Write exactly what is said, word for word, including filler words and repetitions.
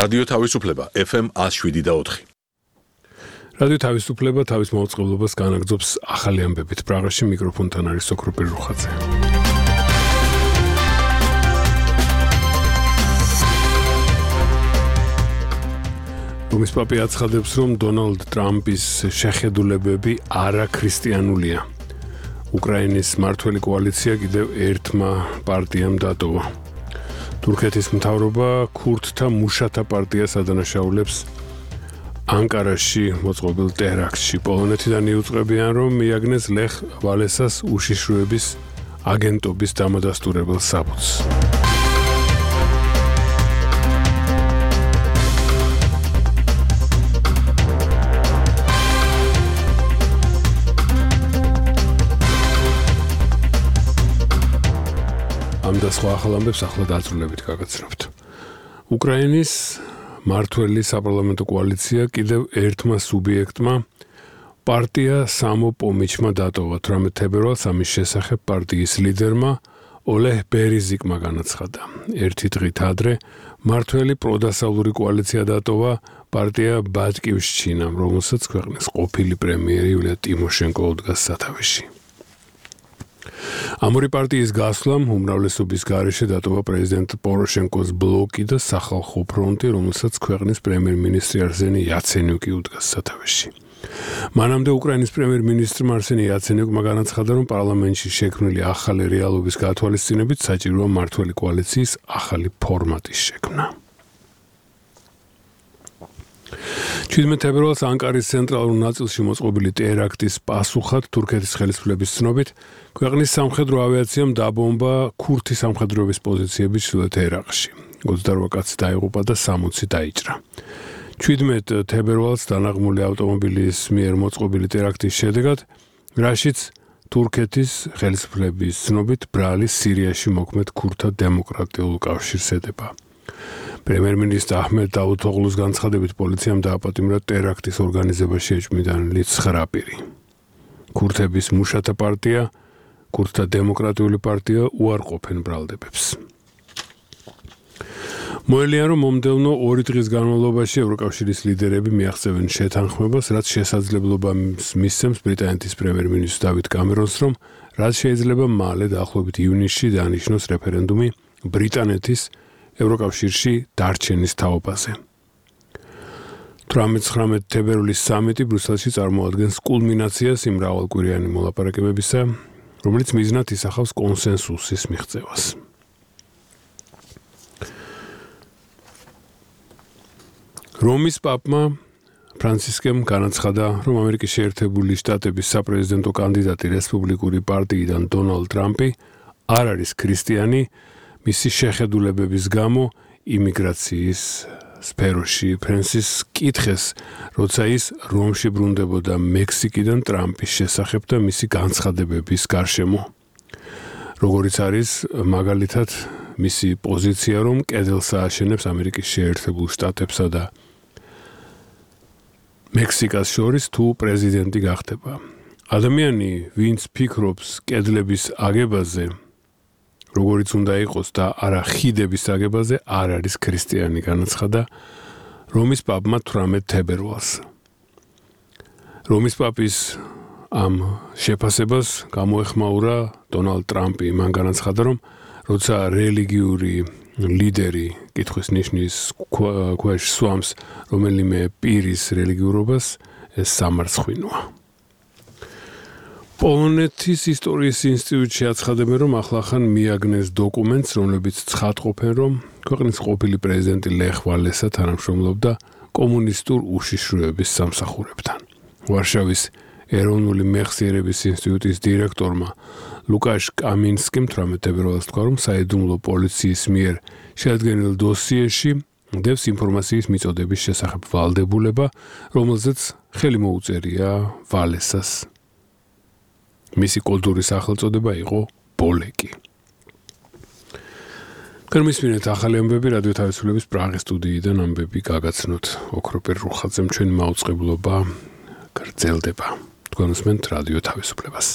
რადიო თავისუფლება F M one oh seven და four. რადიო თავისუფლება თავის მოწყობილობას განაგრძობს ახალი ამბებით. პრაღაში მიკროფონთან არის ოქროპირ რუხაძე. რომის პაპი აცხადებს, რომ დონალდ ტრამპის შეხედულებები არაქრისტიანულია. უკრაინის მმართველი კოალიცია კიდევ ერთმა პარტიამ დატოვა. თურქეთის მთავრობა ქურდთა მუშათა პარტიას ადანაშაულებს ანკარაში მოწყობილ ტერაქტში. პოლონეთიდან იუწყებიან, რომ მიაგნეს ლეხ ვალესას უშიშროების აგენტობის დამადასტურებელ საბუთს. ამ და სხვა ახალ ამბებს ახლა დაწვრილებით გაგაცნობთ. უკრაინის მმართველი საპარლამენტო კოალიცია კიდევ ერთმა სუბიექტმა პარტია სამოპომიჩმა დატოვა. თვრამეტ თებერვალს ამის შესახებ პარტიის ლიდერმა ოლეჰ ბერეზიკმა განაცხადა. ერთი დღით ადრე მმართველი პროდასავლური კოალიცია დატოვა პარტია ბატკივშჩინამ, რომელსაც ქვეყნის ყოფილი პრემიერი იულია ტიმოშენკო უდგას სათავეში. ამ ორი პარტიის გასვლამ უმრავლესობის გარეშე დატოვა პრეზიდენტ პოროშენკოს ბლოკი და სახალხო ფრონტი, რომელსაც ქვეყნის პრემიერ-მინისტრი არსენი იაცენიუკი უდგას სათავეში. მანამდე უკრაინის პრემიერ-მინისტრმა არსენი იაცენიუკმა განაცხადა, რომ პარლამენტში შექმნილი ახალი რეალობის გათვალისწინებით საჭიროა მმართველი კოალიციის ახალი ფორმატის შექმნა. შვიდმეტ თებერვალს ანკარის ცენტრალურ ნაწილში მოწყობილი ტერაქტის პასუხად თურქეთის ხელისუფლების ცნობით ქვეყნის სამხედრო ავიაციამ დაბომბა ქურთი სამხედროების პოზიციები ჩრდილოეთ ერაყში. ოცდაორ კაცი დაიღუპა და სამოცი დაიჭრა. შვიდმეტ თებერვალს დანაღმული ავტომობილის მიერ მოწყობილი ტერაქტის შედეგად, რაშიც თურქეთის ხელისუფლების ცნობით ბრალი სირიაში მოქმედ ქურთთა დემოკრატიულ კავშირს ედება. პრემიერ-მინისტრ აჰმედ დავუთოღლუს განცხადებით პოლიციამ დააპატიმრა ტერაქტის ორგანიზებაში ეჭვმიტანილი ცხრა პირი. ქურთების მუშათა პარტია, ქურთთა დემოკრატიული პარტია უარყოფენ ბრალდებებს. მოელიან, რომ მომდევნო ორი დღის განმავლობაში ევროკავშირის ლიდერები მიაღწევენ შეთანხმებას, რაც შესაძლებლობას მისცემს ბრიტანეთის პრემიერ-მინისტრ დავიდ კამერონს, რომ რაც შეიძლება მალე დაახლოებით ივნისში დაანიშნოს რეფერენდუმი ბრიტანეთის ევროკავშირში დარჩენის თაობაზე. თვრამეტ თებერვლის სამიტი ბრიუსელში წარმოადგენს კულმინაციას იმ მრავალკვირიანი მოლაპარაკებებისა, რომელიც მიზნად ისახავს კონსენსუსის მიღწევას. რომის პაპმა ფრანცისკემ განაცხადა, რომ ამერიკის შეერთებული შტატების საპრეზიდენტო კანდიდატი რესპუბლიკური პარტიიდან დონალდ ტრამპი არ არის ქრისტიანი, მისი შეხედულებების გამო იმიგრაციის სფეროში. ფრენსის კითხეს, როცა ის რომში ბრუნდებოდა მექსიკიდან ტრამპის შესახებ და მისი განცხადებების გარშემო. როგორიც არის მაგალითად მისი პოზიცია, რომ კედელს ააშენებს ამერიკის შეერთებულ შტატებსა და მექსიკას შორის თუ პრეზიდენტი გახდება. ადამიანი, ვინც ფიქრობს კედლების აგებაზე, როგორიც უნდა იყოს და არა ხიდების აგებაზე, არ არის ქრისტიანი, განაცხადა რომის პაპმა თვრამეტ თებერვალს. რომის პაპის ამ შეფასებას გამოეხმაურა დონალდ ტრამპი. მან განაცხადა, რომ როცა რელიგიური ლიდერი კითხვის ნიშნის ქვეშ სვამს რომელიმე პირის რელიგიურობას, ეს სამარცხვინოა. პოლონეთის ისტორიის ინსტიტუტში აცხადებენ, რომ ახლახან მიაგნეს დოკუმენტს, რომლებიც ცხადყოფენ, რომ ქვეყნის ყოფილი პრეზიდენტი ლეხ ვალესა თანამშრომლობდა კომუნისტურ უშიშროების სამსახურებთან. ვარშავის ეროვნული მეხსიერების ინსტიტუტის დირექტორმა ლუკაშ კამინსკიმ თვრამეტ თებერვალს თქვა, რომ საიდუმლო პოლიციის მიერ შეადგენილ დოსიეში დევს ინფორმაციის მიწოდების შესახებ ვალდებულება, რომელზეც ხელი მოუწერია ვალესას. მისი კულტურის სახელწოდება იყო ბოლეკი. კერმისმინეთ ახალი ამბები რადიო თავისუფლების პრაღის სტუდიიდან ამბები გაგაცნოთ. ოქროპირ რუხაძემ ჩვენი მაუწყებლობა გრძელდება. თქვენ უსმენთ რადიო თავისუფლებას.